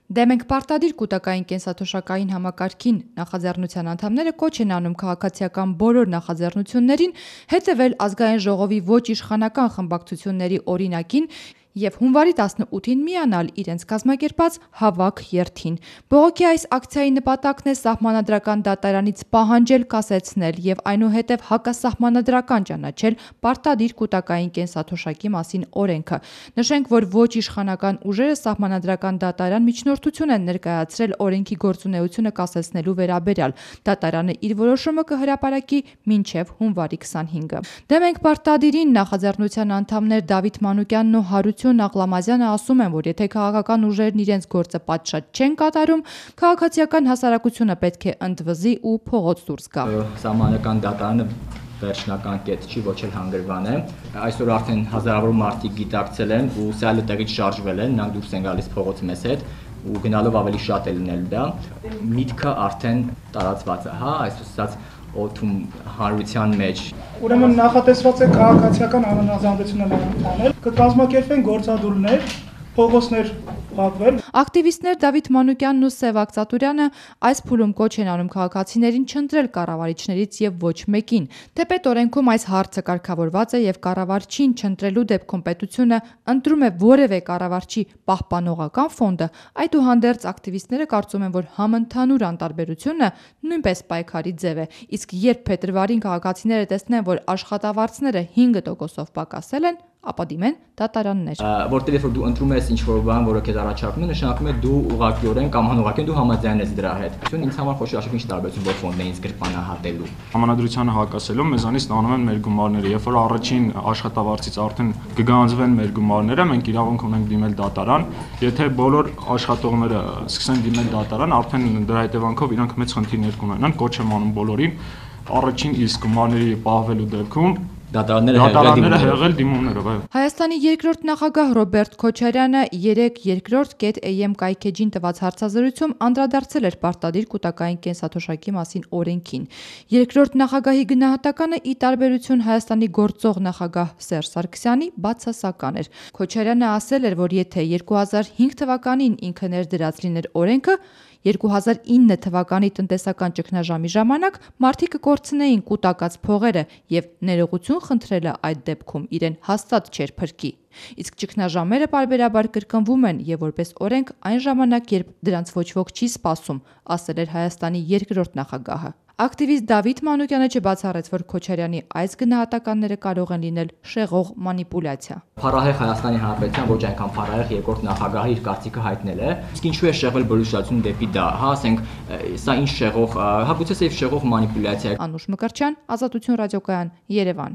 Դեմ ենք պարտադիր կուտակային կենսաթոշակային համակարգին, նախաձեռնության անդամները կոչ են անում քաղաքացիական բոլոր նախաձեռնություններին հետևել ազգային ժողովի ոչ իշխանական խմբակցությունների օրինակին և հունվարի 18-ին միանալ իրենց կազմակերպած հավաք երթին։ Բողոքի այս ակցիայի նպատակն է սահմանադրական դատարանից պահանջել կասեցնել և այնուհետև հակասահմանադրական ճանաչել պարտադիր կուտակային կենսաթոշակի մասին օրենքը։ Նշենք, որ ոչ իշխանական ուժերը սահմանադրական դատարան միջնորդություն են ներկայացրել օրենքի գործունեությունը կասեցնելու վերաբերյալ։ Դատարանը իր որոշումը կհրապարակի մինչև հունվարի 25-ը։ Դեմ ենք պարտադիրին նախաձեռնության անդամներ Դավիթ Մանուկյանն ու Հարություն Աղլամազյանը ասում են, որ եթե քաղաքական ուժերն իրենց գործը պատշաճ չեն կատարում, քաղաքացիական հասարակությունը պետք է ընդվզի ու փողոց դուրս գա։ Սահմանադրական դատարանը վերջնական կետ չի, ոչ էլ հանգրվան է։ Այսօր արդեն հազարավոր մարդիկ գիտակցել են ու սայլը տեղից շարժվել են, նրանք դուրս են գալիս փողոց մեզ հետ ու գնալով ավելի շատ է լինել դա։ Միտքը արդեն տարածված է, այսպես ասած օդում հանրության մեջ։ Ուրեմն նախատեսված է քաղաքացիական անհանրազանդությունը անել, կկազմակերպվեն գործադուլներ, փողոցներ փակվել։ Ակտիվիստներ Դավիթ Մանուկյանն ու Սևակ Ծատուրյանը այս փուլում կոչ են անում քաղաքացիներին չընտրել կառավարիչներից եւ ոչ մեկին։ Թեպետ օրենքում այս հարցը կարգավորված է եւ կառավարչին չընտրելու դեպքում պետությունը ընտրում է որևէ կառավարչի պահպանողական ֆոնդը, այդուհանդերձ ակտիվիստները կարծում են, որ համընդհանուր անտարբերությունը նույնպես պայքարի ձև է, իսկ երբ փետրվարին քաղաքացիները տեսնեն, որ աշխատավարձները 5%-ով պակասել են, ապա դիմեն դատարաններ։ Որտեղ որ դու ընտրում ես ինչ-որ բան, որը քեզ առաջարկում է, նշանակում է դու ուղղակիորեն կամ անուղղակիորեն դու համաձայն ես դրա հետ։ Ինձ համար խոշոր ինչ տարբերություն որ ֆոնդն է ինձ գրպանահատելու։ Համանadrությանը հակասելով մեզանից ստանում են մեր գումարները, երբ որ առաջին աշխատավարձից արդեն կգանձվեն մեր գումարները, մենք իրավունք ունենք դիմել դատարան։ Եթե բոլոր աշխատողները սկսեն դիմել դատարան, արդեն դրա հետևանքով իրանք մեծ խնդիրներ կունենան, կոչ եմ անում բոլորին առաջին իսկ գումարների պահվելու դեպքում դատարանները հեղել դիմումներով։ Հայաստանի երկրորդ նախագահ Ռոբերտ Քոչարյանը 3.2.am կայքեջին տված հարցազրույցում անդրադարձել էր պարտադիր կուտակային կենսաթոշակի մասին օրենքին։ Երկրորդ նախագահի գնահատականը ի տարբերություն Հայաստանի գործող նախագահ Սերժ Սարգսյանի բացասական էր։ Քոչարյանը ասել էր, որ եթե 2005 թվականին ինքը ներդրած լիներ օրենքը, 2009 թվականի տնտեսական ճգնաժամի ժամանակ մարդիկ կկորցնեին կուտակած փողերը եւ ներողություն խնդրելը այդ դեպքում իրեն հաստատ չէր փրկի։ Իսկ ճգնաժամերը պարբերաբար կրկնվում են եւ որպես օրենք այն ժամանակ, երբ դրանց ոչ ոք չի սպասում, ասել էր Հայաստանի երկրորդ նախագահը։ Ակտիվիստ Դավիթ Մանուկյանը չբացառեց, որ Քոչարյանի այս գնահատականները կարող են լինել շեղող մանիպուլյացիա։ Փառահեղ Հայաստանի Հանրապետության ոչ այնքան փառահեղ երկրորդ նախագահը իր կարծիքը հայտնել է։ Իսկ ինչու է շեղվել բլուրշացում դեպի դա, ասենք, սա ինչ շեղող, հագուցե սև շեղող մանիպուլյացիա է։ Անուշ Մկրտչյան, Ազատություն ռադիոկայան, Երևան։